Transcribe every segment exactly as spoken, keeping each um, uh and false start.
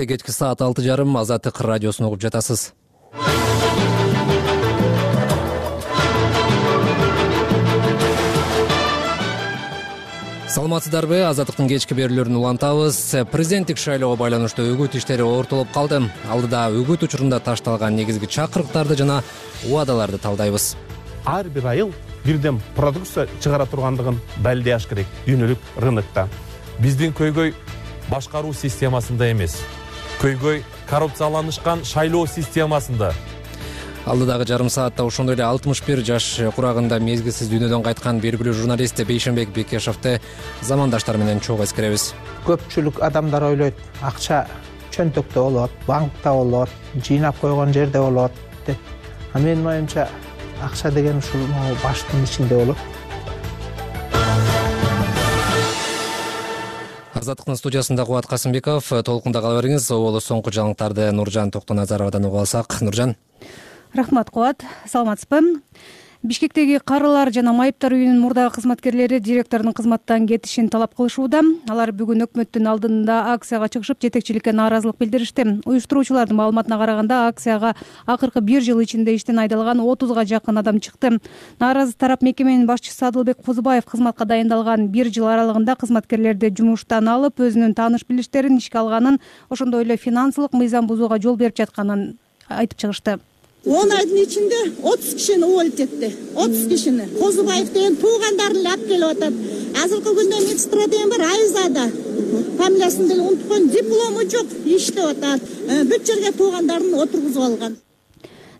Кечки саат алты жарым Азаттык радиосун угуп жатасыз. Саламатсыздарбы? Азаттыктын кечки берүүлөрүн улантабыз. Президенттик шайлоого байланыштуу үгүт иштери ортолуп калды. Алдыда үгүт учурунда ташталган негизги чакырыктарды жана убадаларды талдайбыз. Ар бир айыл бирден продукция чыгара тургандыгын далилдеш керек дүйнөлүк рынокто. Биздин көйгөй башкаруу системасында эмес, көйгөй коррупцияланышкан шайлоо системасында. Алдыдагы жарым саатта ошондой эле алтымыш бир жаш курагында мезгилсиз дүйнөдөн кайткан белгилүү журналист Бейшенбек Бекешевди замандаштар менен чогуу эскеребиз. Көпчүлүк адамдар ойлойт, акча чөнтөктө болот, банкта болот, жыйнап койгон жерде болот деп. А менин оюмча акча деген ушул баштын ичинде болот. Азаттыктын студиясында Кубат Касымбеков, толкунда кала бериңиз. Оболу соңку жаңылыктарды Нуржан Токтоназаровадан угуп алсак. Нуржан. Рахмат, Кубат. Саламатсызбы? Бишкектеги карылар жана майыптар үйүнүнүн мурдагы кызматкерлери директордун кызматтан кетишин талап кылышууда. Алар бүгүн өкмөттүн алдында акцияга чыгышып, жетекчиликке нааразылык билдиришти. Уюштуруучулардын маалыматына караганда, акцияга акыркы бир жыл ичинде иштен айдалган отузга жакын адам чыкты. Нааразы тарап мекеменин башчысы Адылбек Козубаев кызматка дайындалган бир жыл аралыгында кызматкерлерди жумуштан алып, өзүнүн тааныш билиштерин ишке алганын, ошондой эле финансылык мыйзам бузууга жол берип жатканын айтып чыгышты. он айдын ичинде отуз кишини уволить этти. отуз кишини. Козубаев деген туугандарын эле алып келип атат. Азыркы күндө медсестра деген бар, Айзада. Фамилиясын деле унутуп койдум. Диплому жок, иштеп атат. Бүт жерге туугандарын отургузуп алган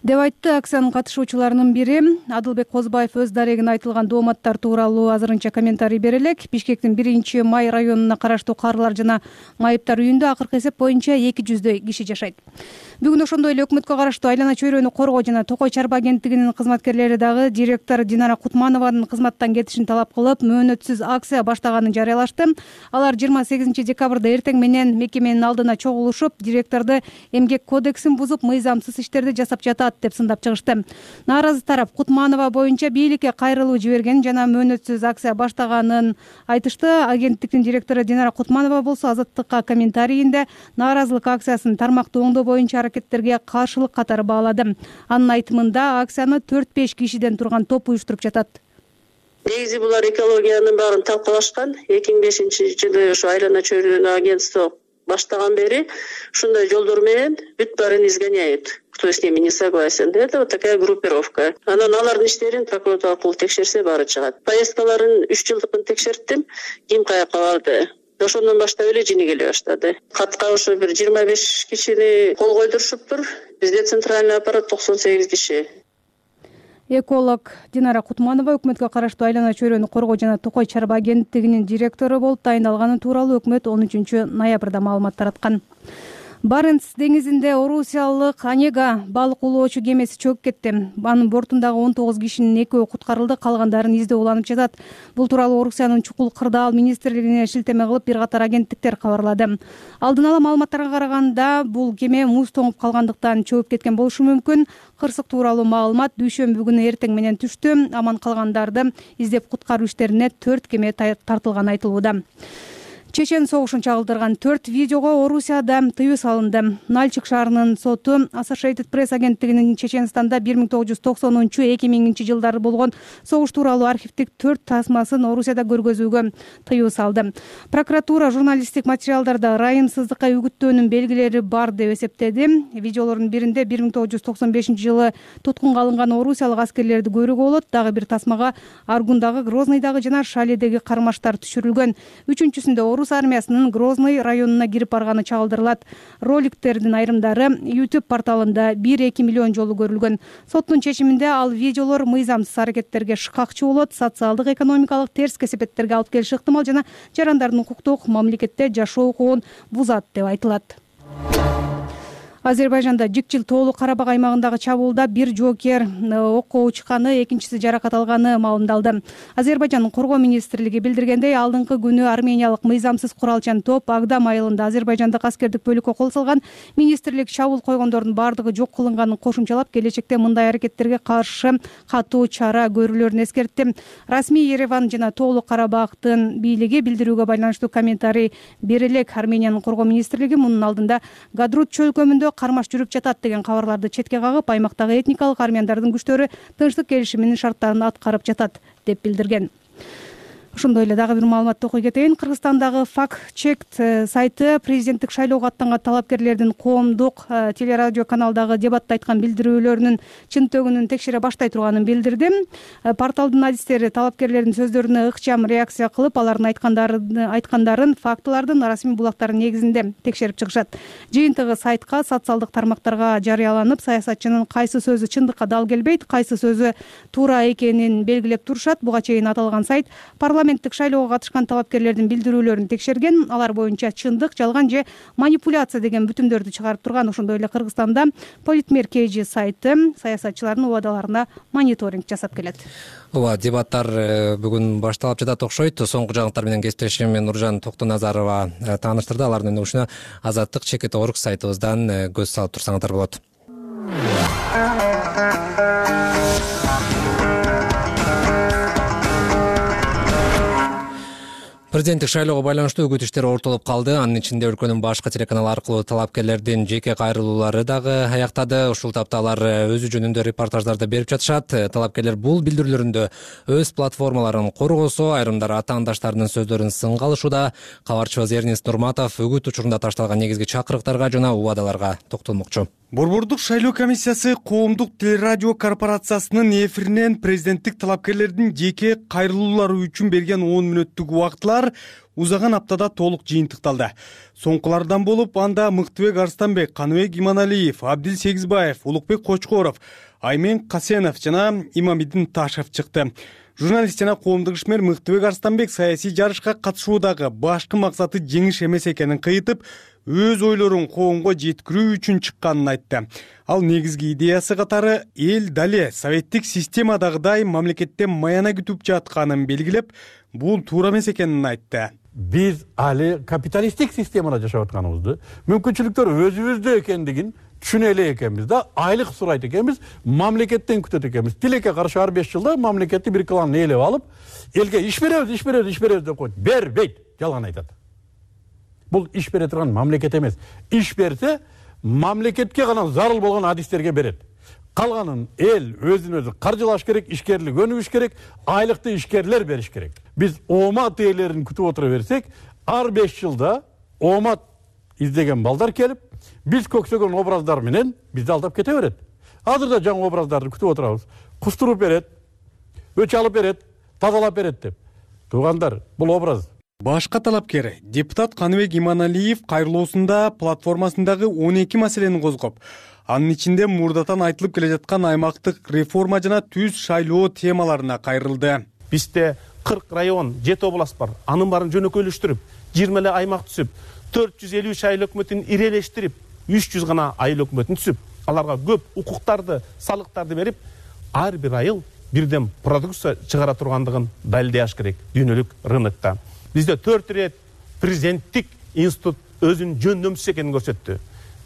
деп айтты. Акциянын катышуучуларынын бири Адылбек Козубаев өз дарегине айтылган дооматтар тууралуу азырынча комментарий бере элек. Бишкектин биринчи май районуна караштуу карылар жана майыптар үйүндө акыркы эсеп боюнча эки жүздөй киши жашайт. Бүгүн ошондой эле өкмөткө караштуу Айлана чөйрөнү коргоо жана Токой чарба агенттигинин кызматкерлери дагы директор Динара Кутманованын кызматтан кетишин талап кылып, мөөнөтсүз акция баштаганын жарыялашты. Алар жыйырма сегизинчи декабрда эртең менен мекеменин алдына чогулушуп, директорду эмгек кодексин бузуп, мыйзамсыз иштерди жасап жатат деп сындап чыгышты. Нааразы тарап Кутманова боюнча бийликке кайрылуу жиберген жана мөөнөтсүз акция баштаганын айтышты. Агенттиктин директору Динара Кутманова болсо Азаттыкка комментарийинде нааразылык акциясын тармактуу оңдоо боюнча аракеттерге каршылык катары баалады. Анын айтымында акцияны төрт беш кишиден турган топ уюштуруп жатат. Негизи булар экологиянын баарын талкалашкан. эки миң бешинчи жылы ошо Айлана чөйрөнү агентство баштаган бери ушундай жолдор менен бүт баарын изгоняют. Кто с ними не согласен. Это вот такая группировка. Анан алардын иштерин прокуратура аркылуу текшерсе баары чыгат. Поездкаларын үч жылдыкын текшерттим. Ким каяка барды? Ошондон баштап эле жини келе баштады. Катка ошо бир жыйырма беш кишини кол койдурушуптур. Бизде центральный аппарат токсон сегиз киши. Эколог Динара Кутманова өкмөткө караштуу Айлана чөйрөнү коргоо жана Токой чарба агенттигинин директору болуп тайындалганы тууралуу өкмөт он үчүнчү ноябрда маалымат тараткан. Баренц деңизинде орусиялык Онега балык улоочу кемеси чөгүп кетти. Анын бортундагы он тогуз кишинин экөө куткарылды, калгандарын издөө уланып жатат. Бул тууралуу Орусиянын чукул кырдаал министрлигине шилтеме кылып бир катар агенттиктер кабарлады. Алдын ала маалыматтарга караганда, бул кеме муз тоңуп калгандыктан чөгүп кеткен болушу мүмкүн. Кырсык тууралуу маалымат дүйшөмбү күнү эртең менен түштү. Аман калгандарды издеп куткаруу иштерине төрт кеме тартылганы айтылууда. Чечен согушун чагылдырган төрт видеого Орусияда тыюу салынды. Нальчик шаарынын соту Associated Press агенттигинин Чеченстанда бир миң тогуз жүз токсонунчу эки миңинчи жылдары болгон согуш тууралуу архивдик төрт тасмасын Орусияда көргөзүүгө тыюу салды. Прокуратура журналисттик материалдарда ырайымсыздыкка үгүттөөнүн белгилери бар деп эсептеди. Видеолордун биринде бир миң тогуз жүз токсон бешинчи жылы туткунга алынган орусиялык аскерлерди көрүүгө болот. Дагы бир тасмага Аргундагы, Грозныйдагы жана Шаледеги кармаштар түшүрүлгөн. Үчүнчүсүндө Орус армиясынын Грозный районуна кирип барганы чагылдырылат. Роликтердин айрымдары YouTube порталында бир-эки миллион жолу көрүлгөн. Соттун чечиминде ал видеолор мыйзамсыз аракеттерге шыкакчы болот, социалдык, экономикалык терс кесепеттерге алып келиши ыктымал жана жарандардын укуктук мамлекетте жашоо укугун бузат деп айтылат. Азербайжанда Жикчил тоолуу Карабак аймагындагы чабуулда бир жоокер окко учканы, экинчиси жаракат алганы маалымдалды. Азербайжандын коргоо министрлиги билдиргендей, алдыңкы күнү армениялык мыйзамсыз куралчан топ Агдам айылында азербайжандык аскердик бөлүккө кол салган. Министрлик чабуул койгондордун бардыгы жок кылынганын кошумчалап, келечекте мындай аракеттерге каршы катуу чара көрүлөрүн эскертти. Расмий Ереван жана тоолуу Карабактын бийлиги билдирүүгө байланыштуу комментарий бере элек. Армениянын коргоо министрлиги мунун алдында Гадрут чөлкөмүндө кармаш жүрүп жатат деген кабарларды четке кагып, аймактагы этникалык армяндардын күчтөрү тынчтык келишиминин шарттарын аткарып жатат деп билдирген. Ошондой эле дагы бир маалыматты окуй кетейин. Кыргызстандагы Fact-Check сайты президенттик шайлоого аттанган талапкерлердин коомдук телерадио каналдагы дебатта айткан билдирүүлөрүнүн чынтөгүнүн текшере баштай турганын билдирди. Порталдын адистери талапкерлердин сөздөрүнө ыкчам реакция кылып, алардын айткандарын айткандарын фактылардын расмий булактары негизинде текшерип чыгышат. Жыйынтыгы сайтка, социалдык тармактарга жарыяланып, саясатчынын кайсы сөзү чындыкка дал келбейт, кайсы сөзү туура экенин белгилеп турушат. Буга чейин аталган сайт парламенттик шайлоого катышкан талапкерлердин билдирүүлөрүн текшерген. Алар боюнча чындык, жалган же манипуляция деген бүтүмдөрдү чыгарып турган. Ошондой эле Кыргызстанда Политмер Кж сайты саясатчылардын убадаларына мониторинг жасап келет. Ооба, дебаттар бүгүн башталып жатат окшойт. Соңку жаңылыктар менен кесиптешим Нуржан Токтоназарова тааныштырды. Алардын өнүгүшүнө Азаттык чекит орг сайтыбыздан көз салып турсаңыздар болот. Президенттик шайлоого байланыштуу үгүт иштери ортолуп калды. Анын ичинде өлкөнүн башкы телеканалы аркылуу талапкерлердин жеке кайрылуулары дагы аяктады. Ушул тапта алар өзү жөнүндө репортаждарды берип жатышат. Талапкерлер бул билдирүүлөрүндө өз платформаларын коргосо, айрымдары атаандаштарынын сөздөрүн сынга алышууда. Кабарчыбыз Эрнест Нурматов үгүт учурунда ташталган негизги чакырыктарга жана убадаларга токтолмокчу. Борбордук шайлоо комиссиясы коомдук телерадио корпорациясынын эфиринен президенттик талапкерлердин жеке кайрылуулары үчүн берген он мүнөттүк убактылар узаган аптада толук жыйынтыкталды. Соңкулардан болуп анда Мыктыбек Арстанбек, Каныбек Иманалиев, Абдил Сегизбаев, Улукбек Кочкоров, Аймен Касенов жана Имамидин Ташев чыкты. Журналист жана коомдук ишмер Мыктыбек Арстанбек саясий жарышка катышуудагы башкы максаты жеңиш эмес экенин кыйтып, өз ойлорун коомго жеткирүү үчүн чыкканын айтты. Ал негизги идеясы катары эл дале советтик системадагыдай мамлекеттен маяна күтүп жатканын белгилеп, бул туура эмес экенин айтты. Биз али капиталисттик системада жашап атканыбызды, мүмкүнчүлүктөр өзүбүздө экендигин түшүнө эле экенбиз да, айлык сурайт экенбиз, мамлекеттен күтөт экенбиз. Тилекке каршы ар беш жылда мамлекетти бир клан ээлеп алып, элге иш беребиз, иш беребиз, иш беребиз деп койт. Бербейт, жалган айтат. Бул иш бере турган мамлекет эмес. Иш берсе, мамлекетке гана зарыл болгон адистерге берет. Калганын эл өзүн өзү каржылаш керек, ишкерлик өнүгүш керек, айлыкты ишкерлер бериш керек. Биз оомат ээлерин күтүп отура берсек, ар беш жылда оомат издеген балдар келип, биз көксөгөн образдар менен бизди алдап кете берет. Азыр да жаңы образдарды күтүп отурабыз. Кустуруп берет, өч алып берет, тазалап берет деп. Туугандар, бул образ. Башка талапкер депутат Каныбек Иманалиев кайрылуусунда платформасындагы он эки маселени козгоп, анын ичинде мурдатан айтылып келе жаткан аймактык реформа жана түз шайлоо темаларына кайрылды. Бизде кырк район, жети област бар. Анын баарын жөнөкөйлөштүрүп, жыйырма эле аймак түзүп, төрт жүз элүү айыл өкмөтүн ирелештирип, үч жүз гана айыл өкмөтүн түзүп, аларга көп укуктарды, салыктарды берип, ар бир айыл бирден продукция чыгара тургандыгын далилдаш керек дүйнөлүк рынокто. Бизде төрт ирет президенттик институт өзүнүн жөндөмсүз экенин көрсөттү.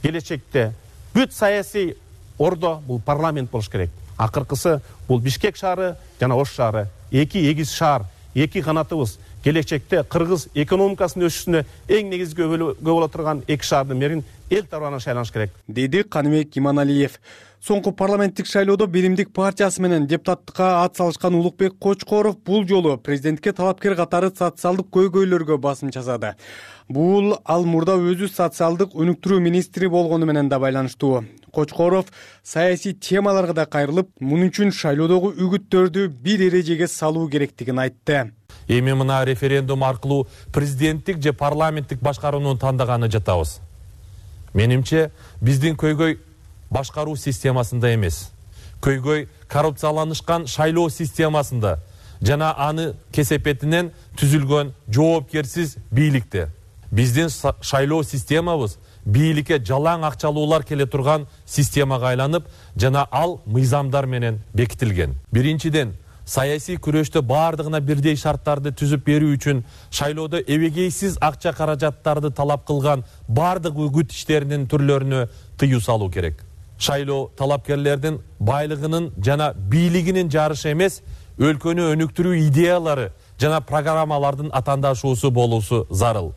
Келечекте бүт саясий ордо бул парламент болуш керек. Акыркысы бул Бишкек шаары жана Ош шаары. Эки эгиз шаар, эки канатыбыз. Келечекте кыргыз экономикасынын өсүшүнө эң негизги көбөлө боло турган эки шаардын бирин эл тарабынан шайланыш керек, деди Каныбек Иманалиев. Соңку парламенттик шайлоодо Биримдик партиясы менен депутаттыкка ат салышкан Улукбек Кочкоров бул жолу президентке талапкер катары социалдык көйгөйлөргө басым жасады. Бул ал мурда өзү социалдык өнүктүрүү министри болгону менен да байланыштуу. Кочкоров саясий темаларга да кайрылып, мунун үчүн шайлоодогу үгүттөрдү бир эрежеге салуу керектигин айтты. Эми мына референдум аркылуу президенттик же парламенттик башкарууну тандаганы жатабыз. Менимче биздин көйгөй башкаруу системасында эмес. Көйгөй коррупцияланышкан шайлоо системасында жана аны кесепетинен түзүлгөн жоопкерсиз бийликте. Биздин шайлоо системабыз бийликке жалаң акчалуулар келе турган системага айланып, жана ал мыйзамдар менен бекитилген. Биринчиден, саясий күрөштө баардыгына бирдей шарттарды түзүп берүү үчүн шайлоодо эбегейсиз акча каражаттарды талап кылган баардык үгүт иштеринин түрлөрүнө тыюу салуу керек. Шайлоо талапкерлердин байлыгынын жана бийлигинин жарышы эмес, өлкөнү өнүктүрүү идеялары жана программалардын атаандашуусу болуусу зарыл.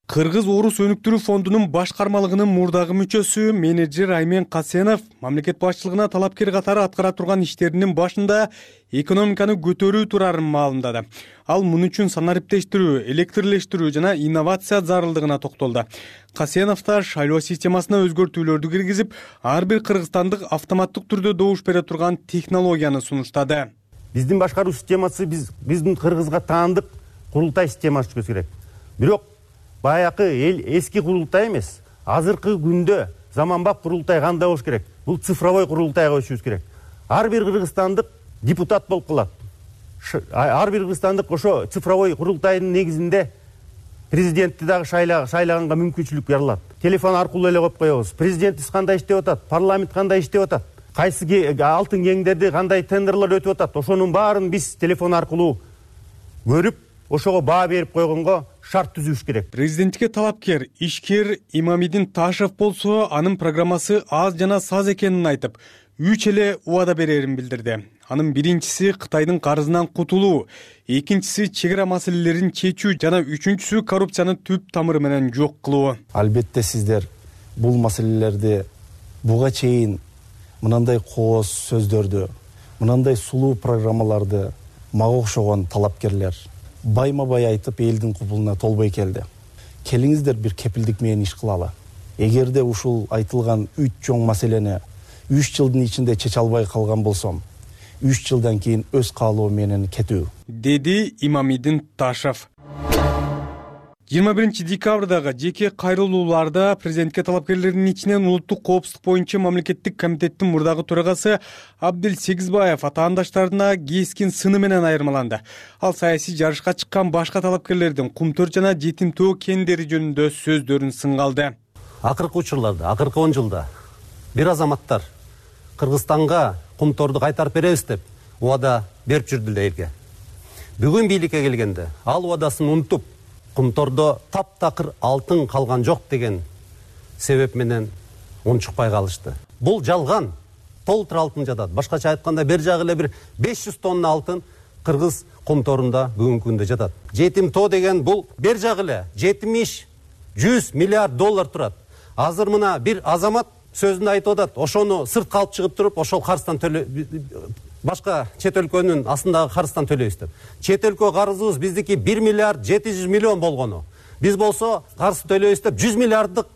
Кыргыз-Орус өнүктүрүү фондунун башкармалыгынын мурдагы мүчөсү менеджер Аймен Касенов мамлекет башчылыгына талапкер катары аткара турган иштеринин башында экономиканы көтөрүү турарын маалымдады. Ал муну үчүн санариптештирүү, электрлештирүү жана инновация зарылдыгына токтолду. Касенов да шайлоо системасына өзгөртүүлөрдү киргизип, ар бир кыргызстандык автоматтык түрдө добуш бере турган технологияны сунуштады. Биздин башкаруу системасы биз биздин Кыргызга таандык курултай системасы керек. Бирок баякы эл эски курултай эмес, азыркы күндө заманбап курултай кандай болуш керек? Бул цифровой курултайга көчүбүз керек. Ар бир кыргызстандык депутат болуп калат. Ар бир кыргызстандык ошо цифровой курултайдын негизинде президентти дагы шайлаганга мүмкүнчүлүк берилат. Телефон аркылуу эле коюп коебуз. Президентибиз кандай иштеп атат? Парламент кандай иштеп атат? Кайсы алтын кеңдерди кандай тендерлер өтүп атат? Ошонун баарын биз телефон аркылуу көрүп, ошого баа берип койгонго шарт түзүш керек. Президентке талапкер ишкер Имамидин Ташев болсо, анын программасы аз жана саз экенин айтып, үч эле убада берерин билдирди. Анын биринчиси Кытайдын карызынан кутулуу, экинчиси чек ара маселелерин чечүү жана үчүнчүсү коррупцияны түп тамыры менен жок кылуу. Албетте сиздер бул маселелерди буга чейин мынандай кооз сөздөрдү, мынандай сулуу программаларды мага окшогон талапкерлер байма-бай айтып элдин кубулуна толбой келди. Келиңиздер бир кепилдик менен иш кылалы. Эгерде ушул айтылган үч чоң маселени үч жылдын ичинде чече албай калган болсом, үч жылдан кийин өз каалоо менен кетүү, деди Имамидин Ташев. жыйырма биринчи декабрдагы жеке кайрылууларда президентке талапкерлердин ичинен улуттук коопсуздук боюнча мамлекеттик комитеттин мурдагы төрагасы Абдил Сегизбаев атаандаштарына кескин сыны менен айырмаланды. Ал саясий жарышка чыккан башка талапкерлердин Кумтөр жана Жетим тоо кендери жөнүндө сөздөрүн сынгалды. Акыркы учурларда, акыркы он жылда бир азаматтар Кыргызстанга Кумторду кайтарып беребиз деп убада берип жүрдү элге. Бүгүн бийликке келгенде ал убадасын унутуп, Кумтордо таптакыр алтын калган жок деген себеп менен унчукпай калышты. Бул жалган. Толтур алтын жатат. Башкача айтканда бер жагы эле бир беш жүз тонна алтын Кыргыз Кумторунда бүгүнкү күндө жатат. Жетим тоо деген бул бер жагы эле жетимиш жүз миллиард доллар турат. Азыр мына бир азамат сөзүндө айтып атат, ошону сыртка алып чыгып туруп, ошол карыздан төлө башка чет өлкөнүн астындагы карыздан төлөйбүз деп. Чет өлкө карызыбыз биздики бир миллиард жети жүз миллион болгону. Биз болсо карыз төлөйбүз деп жүз миллиарддык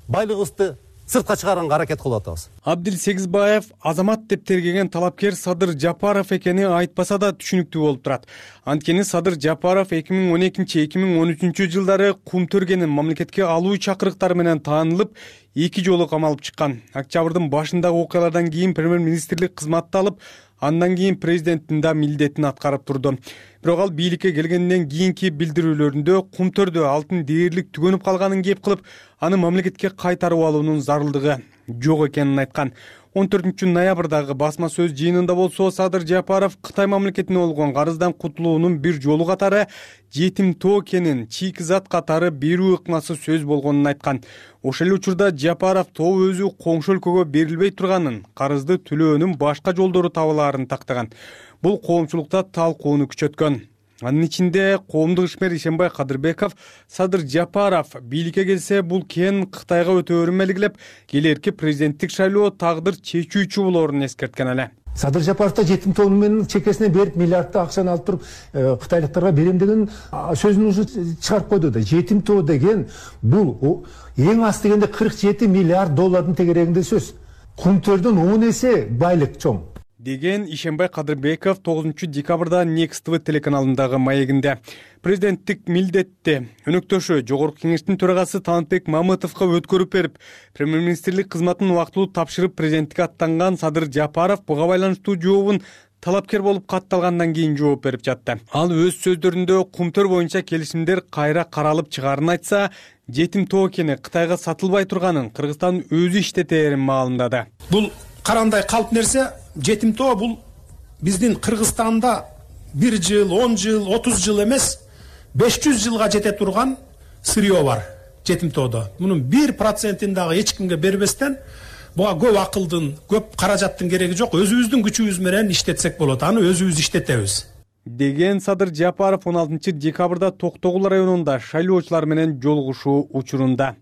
байлыгыбызды сыртка чыгарганга аракет кылып атабыз. Абдил Сегизбаев азамат деп тергеген талапкер Садыр Жапаров экени айтпаса да түшүнүктүү болуп турат. Анткени Садыр Жапаров эки миң он экинчи эки миң он үчүнчү жылдары Кумтөргенин мамлекетке алуу чакырыктары менен таанылып, эки жолу камалып чыккан. Октябрдын башындагы окуялардан кийин премьер-министрлик кызматты алып, андан кийин президенттин да милдетин аткарып турду. Бирок ал бийликке келгенден кийинки билдирүүлөрүндө Кумтөрдө алтын дээрлик түгөнүп калганын кеп кылып, аны мамлекетке кайтарып алуунун зарылдыгы жок экенин айткан. он төртүнчү ноябрдагы басма сөз жыйынында болсо Садыр Жапаров Кытай мамлекетине болгон карыздан кутулуунун бир жолу катары Жетим тоо кенин чийки зат катары берүү ыкмасы сөз болгонун айткан. Ошол эле учурда Жапаров тоо өзү коңшу өлкөгө берилбей турганын, карызды төлөөнүн башка жолдору табылаарын тактаган. Бул коомчулукта талкууну күчөткөн. Анын ичинде коомдук ишмер Ишенбай Кадырбеков Садыр Жапаров бийликке келсе бул кен Кытайга өтөөрүн белгилеп, келерки президенттик шайлоо тагдыр чечүүчү болоорун эскерткен эле. Садыр Жапаров да жетим тоо менен чекесине берип миллиардты акчаны алып туруп кытайлыктарга берем деген сөзүн уже чыгарып койду да. Жетим тоо деген бул эң аз дегенде кырк жети миллиард доллардын тегерегинде сөз. Кумтөрдөн он эсе байлык чоң деген Ишенбай Кадырбеков тогузунчу декабрда Next ти ви телеканалындагы маегинде. Президенттик милдетти өнөктөшү Жогорку кеңештин төрагасы Танытбек Мамытовго өткөрүп берип, премьер-министрлик кызматын убактылуу тапшырып президенттикке аттанган Садыр Жапаров буга байланыштуу жообун талапкер болуп катталгандан кийин жооп берип жатты. Ал өз сөздөрүндө Кумтөр боюнча келишимдер кайра каралып чыгаарын айтса, жетим тоокени Кытайга сатылбай турганын Кыргызстан өзү иштетерин маалымдады. Бул карандай калп нерсе. Жетим тоо бул биздин Кыргызстанда бир жыл, он жыл, отуз жыл эмес, беш жүз жылга жете турган сырье бар жетим тоодо. Мунун бир процентин дагы эч кимге бербестен буга көп акылдын, көп каражаттын кереги жок. Өзүбүздүн күчүбүз менен иштетсек болот. Аны өзүбүз иштетебиз. Деген Садыр Жапаров он алтынчы декабрда Токтогул районунда шайлоочулар менен жолугушуу учурунда.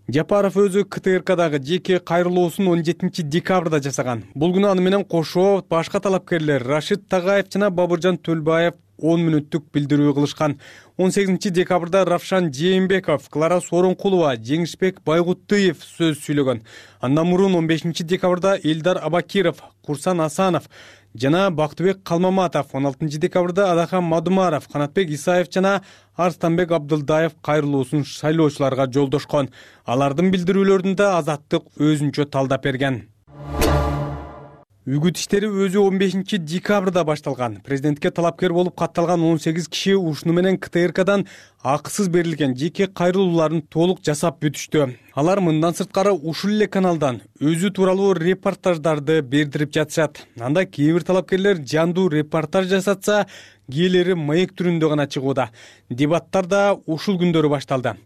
Жапаров өзү К Т Р Кдагы жеке кайрылуусун он жетинчи декабрда жасаган. Бул күнү аны менен кошо башка талапкерлер Рашид Тагаев жана Бабыржан Төлбаев он мүнөттүк билдирүү кылышкан. он сегизинчи декабрда Равшан Жээнбеков, Клара Сооронкулова, Жеңишбек Байгуттыев сөз сүйлөгөн. Андан мурун он бешинчи декабрда Элдар Абакиров, Курсан Асанов жана Бактыбек Калмаматов, он алтынчы декабрда Адахан Мадумаров, Канатбек Исаев жана Арстанбек Абдылдаев кайрылуусун шайлоочуларга жолдошкон. Алардын билдирүүлөрүн да Азаттык өзүнчө талдап берген. Үгүт иштери өзү он бешинчи декабрда башталган. Президентке талапкер болуп катталган он сегиз киши ушуну менен К Т Р Кдан акысыз берилген жеке кайрылууларын толук жасап бүтүштү. Алар мындан сырткары ушул эле каналдан өзү тууралуу репортаждарды бердирип жатышат. Анда кээ бир талапкерлер жандуу репортаж жасатса, кээделери маек түрүндө гана чыгууда. Дебаттар да ушул күндөрү башталды.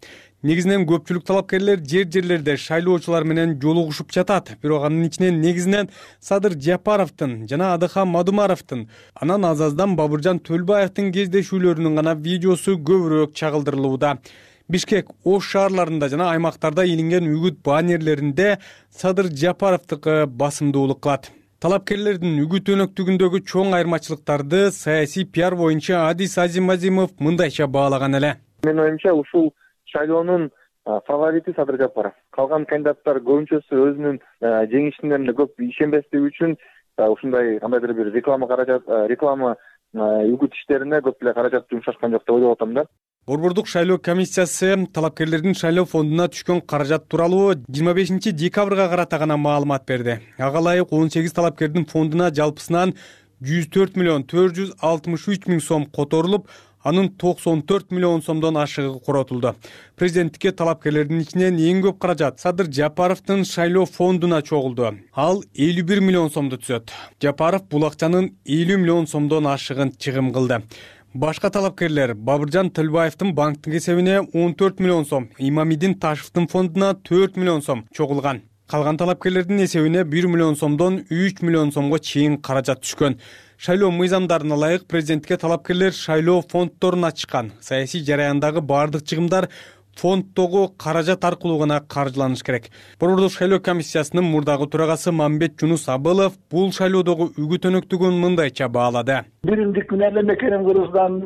Негизинен көпчүлүк талапкерлер жер-жерлерде шайлоочулар менен жолугушуп жатат. Бирок анын ичинен негизинен Садыр Жапаровдун жана Адахан Мадумаровдун, анан Азаздан Бабыржан Төлбаевдин кездешүүлөрүнүн гана видеосу көбүрөөк чагылдырылууда. Бишкек, Ош шаарларында жана аймактарда илинген үгүт баннерлеринде Садыр Жапаровдукы басымдуулук кылат. Талапкерлердин үгүт өнөктүгүндөгү чоң айырмачылыктарды саясий пиар боюнча Адис Азимазимов мындайча баалаган эле. Менин оюмча ушул шайлоонун фаворити Садыр Жапаров. Калган кандидаттар көбүнчөсү өзүнүн жеңишине көп ишенбестиги үчүн ушундай кандайдыр бир реклама каражат, реклама үгүт иштерине көп эле каражат жумшашкан жок деп ойлоп атам да. Борбордук шайлоо комиссиясы талапкерлердин шайлоо фондуна түшкөн каражат тууралуу жыйырма бешинчи декабрга карата гана маалымат берди. Ага ылайык он сегиз талапкердин фондуна жалпысынан жүз төрт миллион төрт жүз алтымыш үч миң сом которулуп, анын токсон төрт миллион сомдон ашыгы коротулду. Президенттикке талапкерлердин ичинен эң көп каражат Садыр Жапаровдун шайлоо фондуна чогулду. Ал элүү бир миллион сомду түзөт. Жапаров бул акчанын элүү миллион сомдон ашыгын чыгым кылды. Башка талапкерлер Бабыржан Төлбаевдин банктык эсебине он төрт миллион сом, Имамидин Ташевдин фондуна төрт миллион сом чогулган. Калган талапкерлердин эсебине бир миллион сомдон үч миллион сомго чейин каражат түшкөн. Шайлоо мыйзамдарына ылайык президентке талапкерлер шайлоо фонддорун ачкан. Саясий жараяндагы бардык чыгымдар фонддогу каражат аркылуу гана каржыланыш керек. Борбордук шайлоо комиссиясынын мурдагы төрагасы Мамбет Жунус Абылов бул шайлоодогу үгүт өнөктүгүн мындайча баалады. Биримдик менен эле мекенин Кыргызстан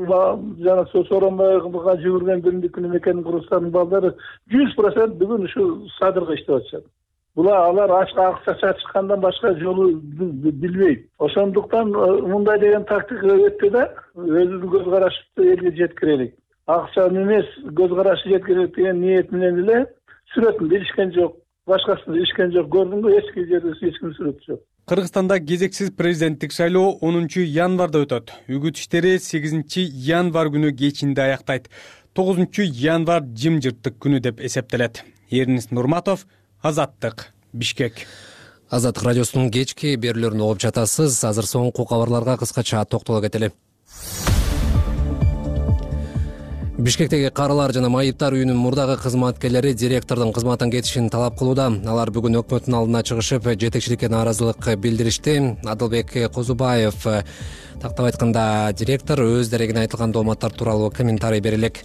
жана Сооронбайга жүгүргөн биримдик менен мекенин Кыргызстандын балдары жүз процент бүгүн ушу Садырга иштеп атышат. Булар алар ашка акча чачкандан башка жолу билбейт. Ошондуктан мындай деген тактика өттү да, өзүбүздүн көз карашыбызды элге жеткирелик. Акчаны эмес, көз карашы жеткирелик деген ниет менен эле сүрөтүн илишкен жок, башкасын илишкен жок. Көрдүңбү, эч жерде эч ким сүрөтү жок. Кыргызстанда кезексиз президенттик шайлоо онунчу январда өтөт. Үгүт иштери сегизинчи январ күнү кечинде аяктайт. тогузунчу январ жымжырттык күнү деп эсептелет. Эрнис Нурматов, Азаттык, Бишкек. Азаттык радиосунун кечки берүүлөрүн угуп жатасыз. Азыр соңку кабарларга кыскача токтоло кетели. Бишкектеги карылар жана майыптар үйүнүн мурдагы кызматкерлери директордун кызматтан кетишин талап кылууда. Алар бүгүн өкмөттүн алдына чыгышып, жетекчиликке нааразылык билдиришти. Адылбек Козубаев тактап айтканда, директор өз дерегине айтылган дооматтар тууралуу комментарий берелек.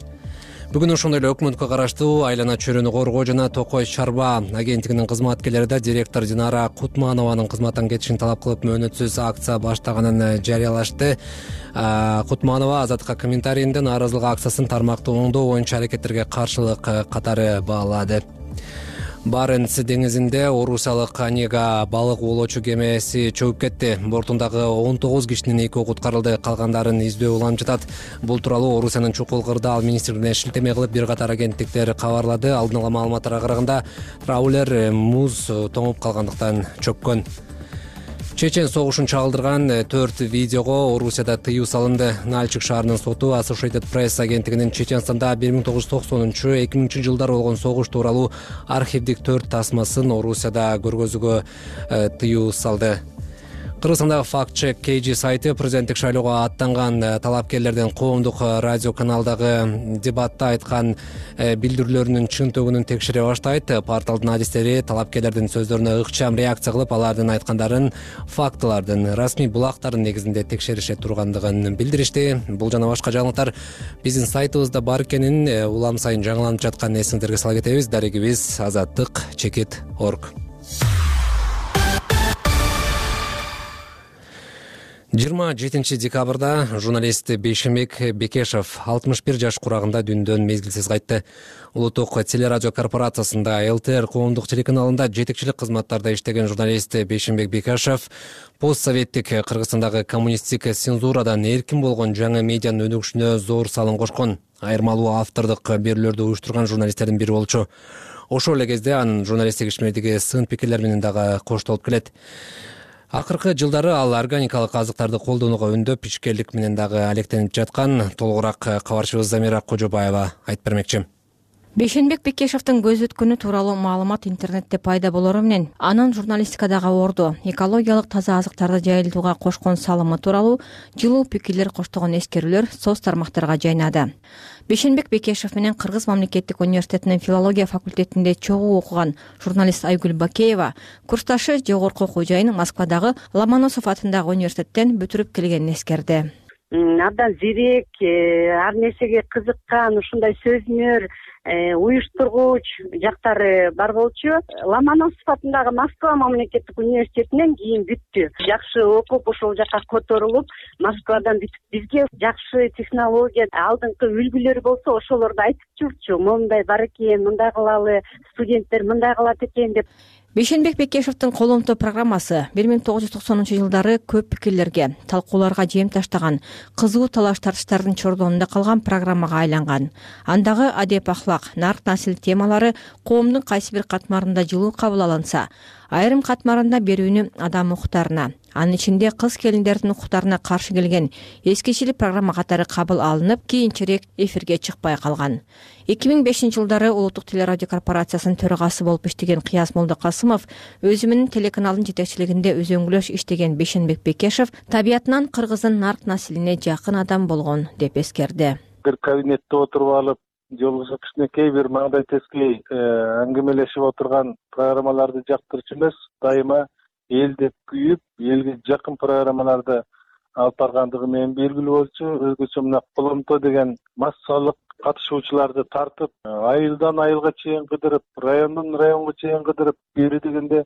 Бүгүн ошондой эле өкмөткө караштуу Айлана чөйрөнү коргоо жана Токой Чарба агенттигинин кызматкерлери да директор Динара Кутманованын кызматтан кетишин талап кылып мөөнөтсүз акция баштаганын жарыялашты. Кутманова Азаттыкка комментарийинде нааразылык акциясын тармактуу оңдоо боюнча аракеттерге каршылык катары баалады. Баренц деңизинде Орусиялык Онега балык оолоочу кемеси чөгүп кетти. Бортундагы он тогуз кишинин экөө куткарылды, калгандарын издөө уланып жатат. Бул тууралуу Орусиянын чукул кырдаал министрлигине шилтеме кылып бир катар агенттиктер кабарлады. Алдын ала маалыматтарга караганда траулер муз тоңуп калгандыктан чөккөн. Чечен согушун чагылдырган төрт видеого Орусияда тыюу салынды. Нальчик шаарынын соту Associated Press агенттигинин Чеченстанда бир миң тогуз жүз токсонунчу эки миңинчи жылдары болгон согуш тууралуу архивдик төрт тасмасын Орусияда көргөзүүгө тыюу салды. Кыргызстандагы Fact Check K G сайты президенттик шайлоого аттанган талапкерлердин коомдук радио каналдагы дебатта айткан билдирүүлөрүнүн чынтөгүнүн текшере баштайт. Порталдын адистери талапкерлердин сөздөрүнө ыкчам реакция кылып, алардын айткандарын фактылардын, расмий булактардын негизинде текшерише тургандыгын билдиришти. Бул жана башка жаңылыктар биздин сайтыбызда бар экенин улам сайын жаңыланып жатканын эсиңиздерге сала кетебиз. Дарегибиз азаттык чекит точка орг. жыйырма жетинчи декабрда журналист Бейшенбек Бекешев алтымыш бир жаш курагында дүйнөдөн мезгилсиз кайтты. Улуттук телерадио корпорациясында Л Т Р коомдук телеканалында жетекчилик кызматтарда иштеген журналист Бейшенбек Бекешев постсоветтик Кыргызстандагы коммунисттик цензурадан эркин болгон жаңы медианын өнүгүшүнө зор салым кошкон. Айырмалуу автордук берүүлөрдү уюштурган журналисттердин бири болчу. Ошол эле кезде анын журналисттик ишмердиги сын пикирлер менен дагы коштолуп келет. Акыркы жылдары ал органикалык азыктарды колдонууга үндөп, ишкерлик менен дагы алектенип жаткан. Толугураак кабарчыбыз Замира Кожобаева айтып бермекчи. Бейшенбек Бекешевдин көз өткөнү тууралуу маалымат интернетте пайда болору менен анын журналистикадагы орду, экологиялык таза азыктарды жайылтууга кошкон салымы тууралуу жылуу пикирлер коштогон эскерүүлөр соц тармактарга жайнады. Бейшенбек Бекешев менен Кыргыз мамлекеттик университетинин филология факультетинде чогуу окуган журналист Айгүл Бакеева курсташы жогорку окуу жайын Москвадагы Ломоносов атындагы университеттен бүтүрүп келгенин эскерди. Абдан зерек, ар нерсеге кызыккан, ушундай сөзмөр, уюштургуч жактары бар болчу. Ломоносов атындагы Москва мамлекеттик университетинен кийин бүттү. Жакшы окуп, ошол жака которулуп, Москвадан бүтүп бизге жакшы технология, алдыңкы үлгүлөр болсо ошолорду айтып жүрчү. Мондай бар экен, мындай кылалы, студенттер мындай кылат экен деп. Бейшенбек Бекешевдин коломто программасы бир миң тогуз жүз токсонунчу жылдары көп пикирлерге, талкууларга жем таштаган, кызуу талаш тартыштардын чордонунда калган программага айланган. Андагы адеп ахлак, нарк насил темалары коомдун кайсы бир катмарында жылуу кабыл алынса, айрым катмарында берүүнү адам укуктарына, анын ичинде кыз келиндердин укуктарына каршы келген эскичили программа катары кабыл алынып, кийинчерээк эфирге чыкпай калган. эки миң бешинчи жылдары Улуттук телерадио корпорациясынын төрагасы болуп иштеген Кыяз Молдокасымов өзү менен телеканалдын жетекчилигинде өзөңгүлөш иштеген Бейшенбек Бекешев табиятынан кыргыздын нарк насилине жакын адам болгон деп эскерди. Бир кабинетте отуруп алып, жолугушуп кичинекей бир маңдай тескей аңгемелешип отурган программаларды жактырчу эмес, дайыма эл деп күйүп, элге жакын программаларды алып баргандыгы менен белгилүү болчу. Өзгөчө мына коломто деген массалык катышуучуларды тартып, айылдан айылга чейин кыдырып, райондон районго чейин кыдырып, бери дегенде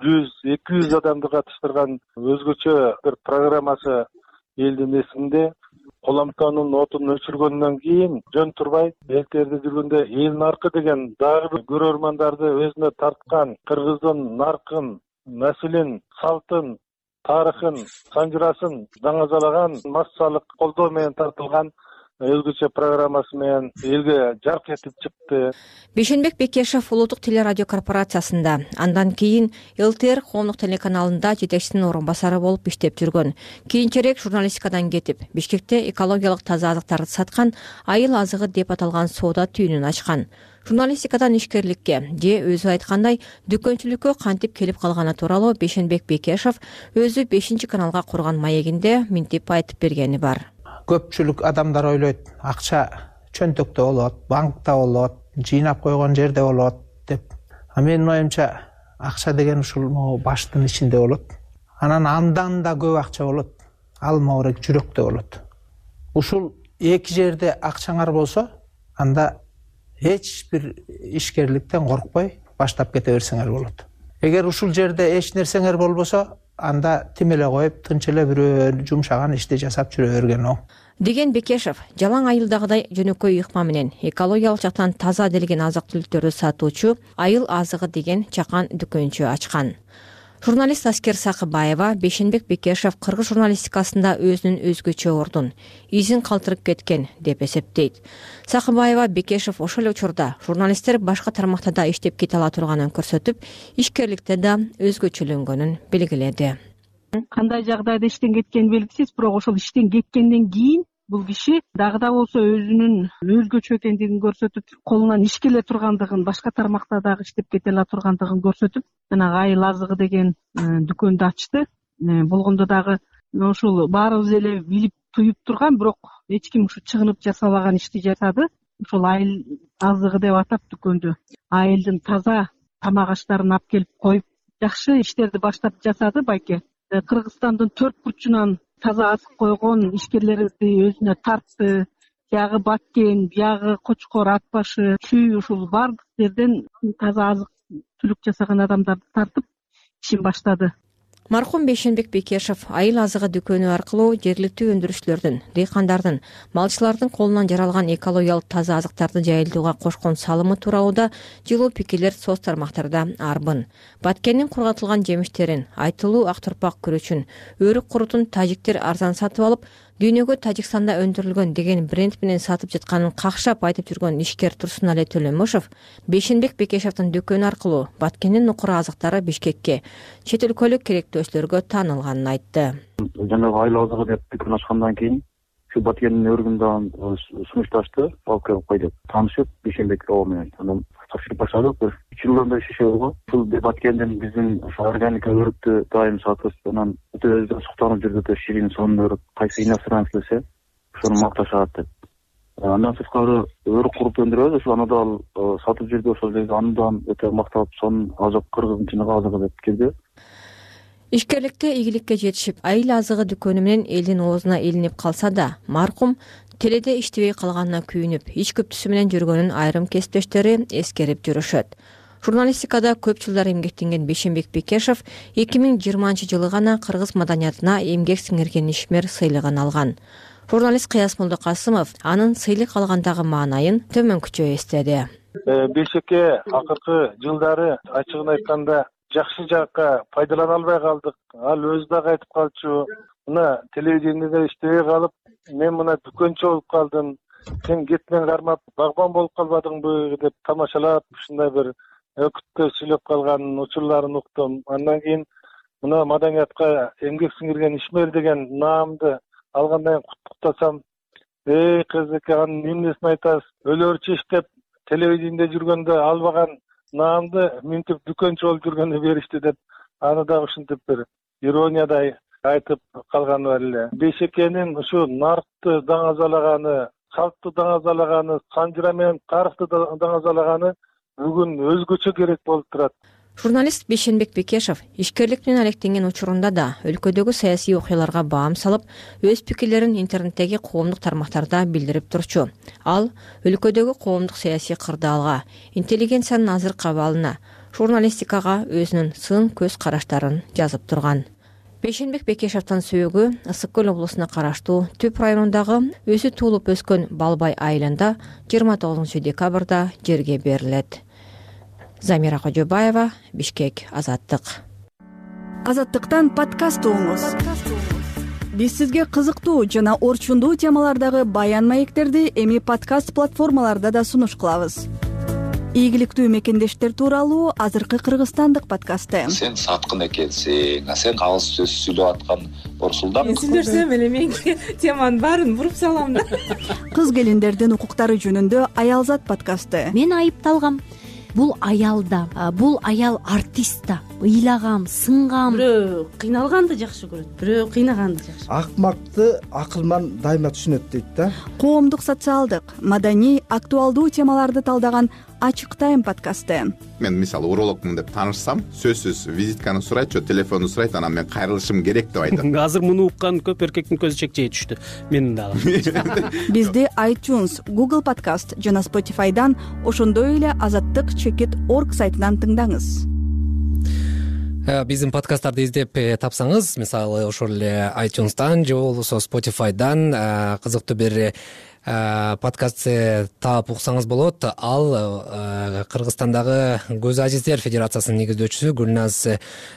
жүз эки жүз адамды катыштырган өзгөчө бир программасы элдин эсинде. Коломтонун отун өчүргөндөн кийин жөн турбай элтерде жүргөндө эл наркы деген дагы бир көрөрмандарды өзүнө тарткан, кыргыздын наркын, наслин, салтын, тарыхын, санжырасын даңазалаган, массалык колдоо менен тартылган өзгөчө программасы менен элге жарк этип чыкты. Бейшенбек Бекешев Улуттук телерадио корпорациясында, андан кийин Л Т Р коомдук телеканалында жетекчисинин орун басары болуп иштеп жүргөн. Кийинчерээк журналистикадан кетип, Бишкекте экологиялык таза азыктарды саткан айыл азыгы деп аталган соода түйүнүн ачкан. Журналистикадан ишкерликке же өзү айткандай дүкөнчүлүккө кантип келип калганы тууралуу Бейшенбек Бекешев өзү бешинчи каналга курган маегинде минтип айтып бергени бар. Көпчүлүк адамдар ойлойт, акча чөнтөктө болот, банкта болот, жыйнап койгон жерде болот деп. А менин оюмча акча деген ушул баштын ичинде болот. Анан андан да көп акча болот. Ал моорек жүрөктө болот. Ушул эки жерде акчаңар болсо, анда эч бир ишкерликтен коркпой баштап кете берсеңер болот. Эгер ушул жерде эч нерсеңер болбосо, анда тим эле коюп, тынч эле бирөө жумшаган ишти жасап жүрө берген оң. Деген Бекешев жалаң айылдагыдай жөнөкөй ыкма менен экологиялык жактан таза делген азык-түлүктөрдү сатуучу Айыл азыгы деген чакан дүкөнчү ачкан. Журналист Аскер Сакыбаева Бейшенбек Бекешев кыргыз журналистикасында өзүнүн өзгөчө ордун, изин калтырып кеткен деп эсептейт. Сакыбаева Бекешев ошол учурда журналисттер башка тармактарда иштеп кете ала турганын көрсөтүп, ишкерликте да өзгөчөлөнгөнүн белгиледи. кандай жагдайда иштен кеткени белгисиз, бирок ошол иштен кеткенден кийин бул киши дагы да болсо өзүнүн өзгөчө экендигин көрсөтүп, колунан иш келе тургандыгын, башка тармакта дагы иштеп кете ала тургандыгын көрсөтүп, жанагы айыл азыгы деген дүкөндү ачты. Болгондо дагы ушул баарыбыз эле билип туюп турган, бирок эч ким ушу чыгынып жасабаган ишти жасады. Ошол айыл азыгы деп атап дүкөндү айылдын таза тамак аштарын алып келип коюп, жакшы иштерди баштап жасады байке. Кыргызстандын төрт бурчунан таза азык койгон ишкерлерди өзүнө тартты. Тиягы Баткен, биягы Кочкор, Ат башы, Чүй, ушул баардык жерден таза азык түлүк жасаган адамдарды тартып ишин баштады. Маркум Бейшенбек Бекешев айыл азыгы дүкөнү аркылуу жергиликтүү өндүрүшчүлөрдүн, дыйкандардын, малчылардын колунан жаралган экологиялык таза азыктарды жайылтууга кошкон салымы тууралуу да жылуу пикирлер соц тармактарда арбын. Баткендин кургатылган жемиштерин, айтылуу ак турпак күрөчүн, өрүк курутун тажиктер арзан сатып алып, дүйнөгө Тажикстанда өндүрүлгөн деген бренд менен сатып жатканын какшап айтып жүргөн ишкер Турсунали Төлөмөшев Бейшенбек Бекешевдин дүкөнү аркылуу Баткендин нукура азыктары Бишкекке, чет өлкөлүк керектөөчүлөргө таанылганын айтты. Жанагы айыл азыгы деп дүкөн ачкандан кийин ушу Баткендин өрүгүндөн сунушташты, алып келип кой деп таанышып, Бейшенбек оо менен анан тапшырып баштадык. Бир үч жылдан бери иши болгон. Ушул Баткендин биздин органика өрүктү дайым сатып, анан өтө өзү суктанып жүрдү, өтө ширин, сонун өрүк, кайсы иностранец келсе, ошону макташат деп. Андан сырткары өрүк куруп өндүрөбүз, ошол аны да сатып жүрдү, ошол жерде андан өтө макталып, сонун азык кыргыздын чыныгы азыгы деп келди. Ишкерликте ийгиликке жетишип, айыл азыгы дүкөнү менен элдин оозуна илинип калса да, маркум теледе иштебей калганына күйүнүп, ич күптүсү менен жүргөнүн айрым кесиптештери эскерип жүрүшөт. Журналистикада көп жылдар эмгектенген Бейшенбек Бекешев эки миң жыйырманчы жылы гана кыргыз маданиятына эмгек сиңирген ишмер сыйлыгын алган. Журналист Кыяс Молдокасымов анын сыйлык алгандагы маанайын төмөнкүчө эстеди. Бейшекке акыркы жылдары ачыгын айтканда жакшы жакка пайдалана албай калдык. Ал өзү дагы айтып калчу, мына телевидениеде иштебей калып, мен мына дүкөнчү болуп калдым. Сен кетмен кармап багбан болуп калбадыңбы деп тамашалап, ушундай бир өкүттө сүйлөп калган учурларын уктум. Андан кийин мына маданиятка эмгек сиңирген ишмер деген наамды алгандан кийин куттуктасам, эй кызыке, анын эмнесин айтасыз? Өлөрчү иштеп телевидениеде жүргөндө албаган наамды минтип дүкөнчү болуп жүргөндө беришти деп, аны да ушинтип бир ирониядай айтып калганы бар эле. Бейшекенин ушу наркты даңазалаганы, калкты даңазалаганы, санжыра менен тарыхты даңазалаганы бүгүн өзгөчө керек болуп турат. Журналист Бейшенбек Бекешев ишкерлик менен алектенген учурунда да өлкөдөгү саясий окуяларга баам салып, өз пикирлерин интернеттеги коомдук тармактарда билдирип турчу. Ал өлкөдөгү коомдук саясий кырдаалга, интеллигенциянын азыркы абалына, журналистикага өзүнүн сын көз караштарын жазып турган. Бейшенбек Бекешевдин сөөгү Ысык көл облусуна караштуу Түп районундагы өзү туулуп өскөн Балбай айылында жыйырма тогузунчу декабрда жерге берилет. Замира Кожобаева, Бишкек, Азаттык. Азаттыктан подкаст угуңуз. Биз сизге кызыктуу жана орчундуу темалардагы баян маектерди эми подкаст платформаларда да сунуш кылабыз. Ийгиликтүү мекендештер тууралуу азыркы кыргызстандык подкасты. Сен саткын экенсиң, сен кагыс сөз сүйлөп аткан Борсулдан. Мен сүйлөсөм эле менин теманын баарын буруп салам да. Кыз келиндердин укуктары жөнүндө Аялзат подкасты. Мен айыпталгам. Бул аялда, бул аял артист да. Ыйлагам, сынгам. Бирөө кыйналганды жакшы көрөт, бирөө кыйнаганды жакшы. Акмакты акылман дайыма түшүнөт дейт да. Коомдук, социалдык, маданий, актуалдуу темаларды талдаган Ачык тайм подкасты. Мен мисалы урологмун деп таанышсам, сөзсүз визитканы сурайт, же телефонду сурайт, анан мен кайрылышым керек деп айтат. Азыр муну уккан көп эркектин көзү чекчей түштү. Менин дагы. Бизди iTunes, Google Podcast жана Spotify'дан, ошондой эле азаттык чекит точка орг сайтынан тыңдаңыз. Биздин подкасттарды издеп тапсаңыз, мисалы ошол эле iTunes'дан же болбосо Spotify'дан кызыктуу бир подкаст таап уксаңыз болот. Ал Кыргызстандагы Көз Азиздер Федерациясынын негиздөөчүсү Гүлназ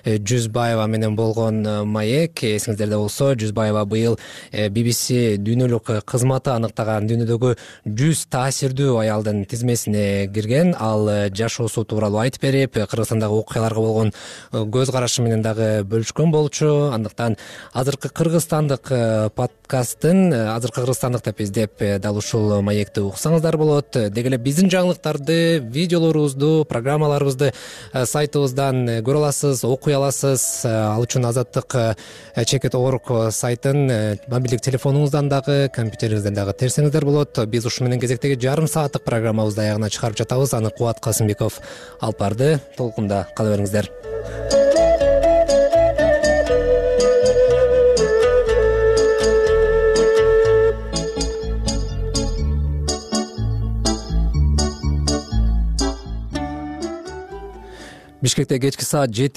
Жүзбаева менен болгон маек. Эсиңиздерде болсо, Жүзбаева быйыл би би си дүйнөлүк кызматы аныктаган дүйнөдөгү жүз таасирдүү аялдын тизмесине кирген. Ал жашоосу тууралуу айтып берип, Кыргызстандагы окуяларга болгон көз карашы менен дагы бөлүшкөн болчу. Андыктан азыркы кыргызстандык подкасттын азыркы кыргызстандык деп издеп дал ушул маекти уксаңыздар болот. Деги эле биздин жаңылыктарды, видеолорубузду, программаларыбызды сайтыбыздан көрө аласыз, окуй аласыз. Ал үчүн Азаттык чекит орг сайтын мобилдик телефонуңуздан дагы, компьютериңизден дагы терсеңиздер болот. Биз ушу менен кезектеги жарым сааттык программабызды аягына чыгарып жатабыз. Аны Кубат Касымбеков алып барды. Толкунда кала бериңиздер. Бишкекте кечки саат жети